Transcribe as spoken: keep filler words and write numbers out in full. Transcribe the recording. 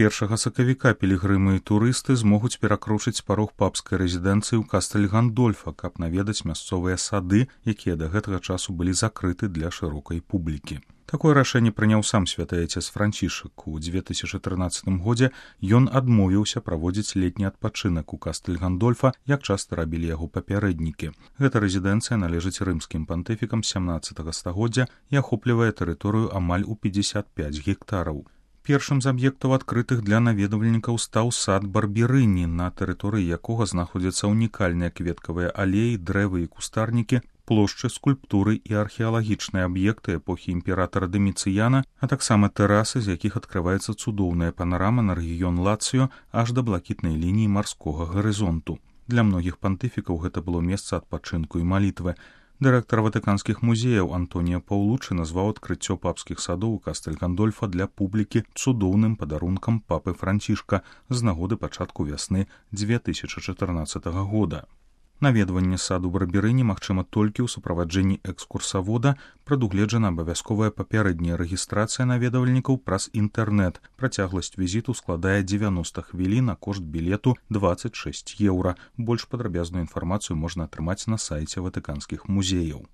першага сакавіка пілігрымы і турысты змогуць перакручыць парог папскай рэзідэнцыі ў Кастэль-Гандольфа, каб наведаць мясцовыя сады, якія да гэтага часу былі закрыты для шырокай публікі. Такое рашэнне прыняў сам святы айцец Францішак. У дзве тысячы трынаццатым годзе ён адмовіўся праводзіць летні адпачынак у Кастэль-Гандольфа, як часта рабілі яго папярэднікі. Гэта рэзідэнцыя належыць рымскім пантыфікам сямнаццатага стагоддзя і ахоплівае тэрыторыю амаль у пятьдесят пять гектараў. Першым з аб'ектаў, адкрытых для наведвальнікаў, стаў сад Барберыні, на тэрыторыі якога знаходзяцца унікальныя кветкавыя алеі, дрэвы і кустарнікі, плошчы, скульптуры і археалагічныя аб'екты эпохі імператара Даміцыяна, а таксама тэрасы, з якіх адкрываецца цудоўная панарама на рэгіён Лацыё аж да блакітнай лініі марскога гарызонту. Для многіх пантыфікаў гэта было месца адпачынку і малітвы. Дырэктар ватыканскіх музеяў Антонія Паўлучы назваў адкрыццё папскіх садоў у Кастэль-Гандольфа для публікі цудоўным падарункам папы Францішка з нагоды пачатку вясны дзве тысячы чатырнаццатага года. Наведванне саду Барберыні магчыма толькі ў суправаджэнні экскурсавода, прадугледжана абавязковая папярэдняя рэгістрацыя наведвальнікаў праз інтэрнэт. Працягласць візіту складае дзевяноста хвілін, а кошт білету дваццаць шэсць еўра. Больш падрабязную інфармацыю можна атрымаць на сайце ватыканскіх музеяў.